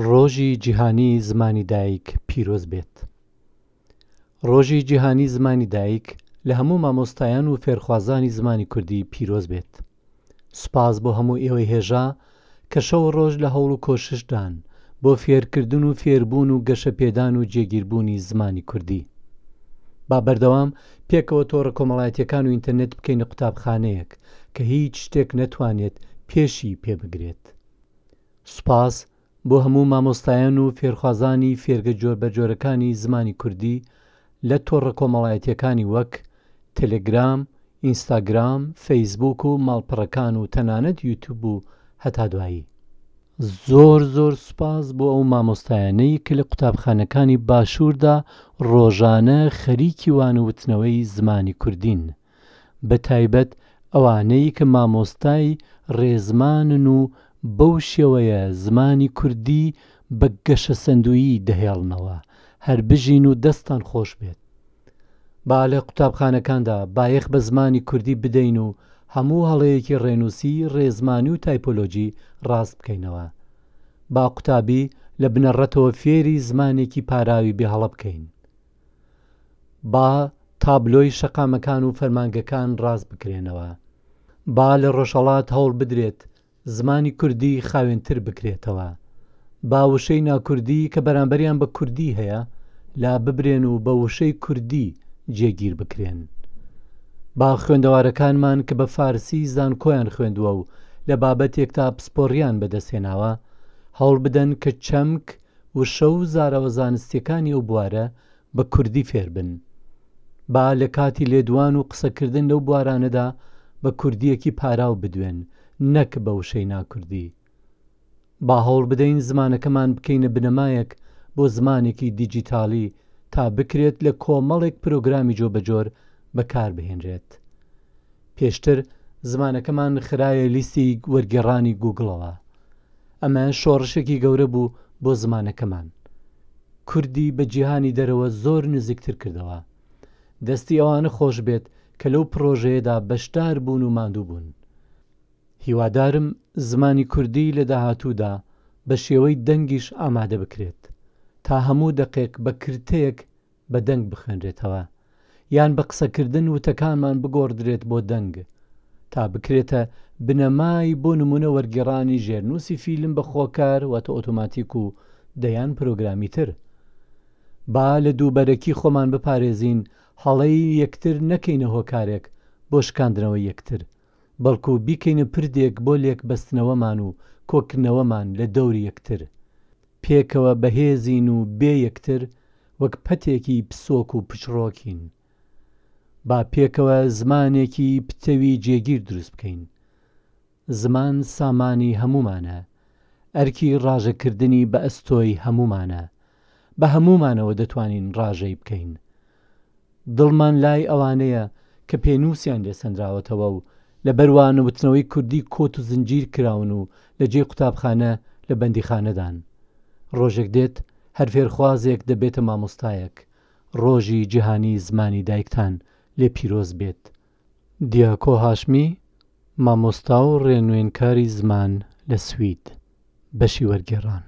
ڕۆژی جیهانی زمانی دایک پیرۆز بێت. ڕۆژی جیهانی زمانی دایک لە هەموو مامۆستایان و فێرخوازانی زمانی کوردی پیرۆز بێت. سوپاس بۆ هەموو ئێوەی هێژا کە شەو و ڕۆژ لە هەوڵ و کۆششدان بۆ فێرکردن و فێربوون و گەشەپێدان و جێگیربوونی زمانی کوردی. با بەردەوام پێکەوە تۆڕە کۆمەڵایەتییەکان و ئینتەرنێت بکەینە قوتابخانەیەک کە هیچ شتێک نەتوانێت پێشی پێ بگرێت. سوپاس بۆ هەموو مامۆستایان و فێرخوازانی فێرگە جۆربەجۆرەکانی زمانی کوردی لە تۆڕە کۆمەڵایەتییەکانی وەک، تەلەگرام، ئینستاگرام، فەیسبووک و ماڵپەڕەکان و تەنانەت یوتوب و هەتا دوایی. زۆر زۆر سوپاس بۆ ئەو مامۆستایانەی کە لە قوتابخانەکانی باشووردا ڕۆژانە خەریکی وانەوتنەوەی زمانی کوردین، بە تایبەت ئەوانەی کە مامۆستای ڕێزمانن و بەو شێوەیە زمانی کوردی بە گەشەسەندوویی دەهێڵنەوە، هەر بژین و دەستتان خۆش بێت. با لە قوتابخانەکاندا بایەخ بە زمانی کوردی بدەین و هەموو هەڵەیەکی ڕێنووسی، ڕێزمانی و تایپۆلۆجی ڕاست بکەینەوە. با قوتابی لە بنەڕەتەوە فێری زمانێکی پاراوی بێ هەڵە بکەین. با تابلۆی شەقامەکان و فەرمانگەکان ڕاست بکرێنەوە. با لە ڕۆژهەڵات هەوڵ بدرێت زمانی کوردی خاوێنتر بکرێتەوە. با وشەی ناکوردی کە بەرامبەریان بە کوردی هەیە لا ببرێن و بە وشەی کوردی جێگیر بکرێن. با خوێندەوارەکانمان کە بە فارسی زانکۆیان خوێندووە و لە بابەتێکدا پسپۆڕییان بەدەستهێناوە، هەوڵ بدەن کە چەمک، وشە و زاراوە زانستییەکانی ئەو بوارە بە کوردی فێر بن. با لە کاتی لێدوان و قسەکردن لەو بوارانەدا بە کوردییەکی پاراو بدوێن نەک بە وشەی ناکوردی. با هەوڵ بدەین زمانەکەمان بکەینە بنەمایەک بۆ زمانێکی دیجیتاڵی تا بکرێت لە کۆمەڵێک پرۆگرامی جۆبەجۆر بەکار بهێنرێت. پێشتر زمانەکەمان خرایە لیستی وەرگێڕانی گووگڵەوە. ئەمە شۆڕشێکی گەورە بوو بۆ زمانەکەمان. کوردی بە جیهانی دەرەوە زۆر نزیکتر کردەوە. دەستی ئەوانە خۆش بێت کە لەو پڕۆژەیەدا بەشدار بوون و ماندوو بوون. هیوادارم زمانی کوردی لە داهاتوودا بە شێوەی دەنگیش ئامادە بکرێت تا هەموو دەقێک بە کرتەیەک بە دەنگ بخوێنرێتەوە یان بە قسەکردن وتەکانمان بگۆڕدرێت بۆ دەنگ تا بکرێتە بنەمای بۆ نموونە وەرگێڕانی ژێرنووسی فیلم بە خۆکار واتە ئۆتۆماتیک و دەیان پرۆگرامی تر. با لە دووبەرەکی خۆمان بپارێزین هەڵەی یەکتر نەکەینە هۆکارێک بۆ شکاندنەوەی یەکتر بەڵکو بیکەینە پردێک بۆ لێکبەستنەوەمان و کۆکردنەوەمان لە دەوری یەکتر. پێکەوە بەهێزین و بێ یەکتر وەک پەتێکی پسۆک و پچڕۆکین. با پێکەوە زمانێکی پتەوی جێگیر دروست بکەین. زمان سامانی هەموومانە. ئەرکی ڕاژەکردنی بە ئەستۆی هەموومانە. بە هەموومانەوە دەتوانین ڕاژەی بکەین. دڵمان لای ئەوانەیە کە پێنووسیان لێ سەنراوەتەوە و لەبەر وانەوتنەوەی کوردی کۆت و زنجیر کراون و لە جێی قوتابخانە لە بەندیخانەدان. ڕۆژێک دێت هەر فێرخوازێک دەبێتە مامۆستایەک. ڕۆژی جیهانی زمانی دایکتان لێ پیرۆز بێت. دیاکۆ هاشمی، مامۆستا و ڕێنوێنکاری زمان لە سوید. بەشی وەرگێڕان.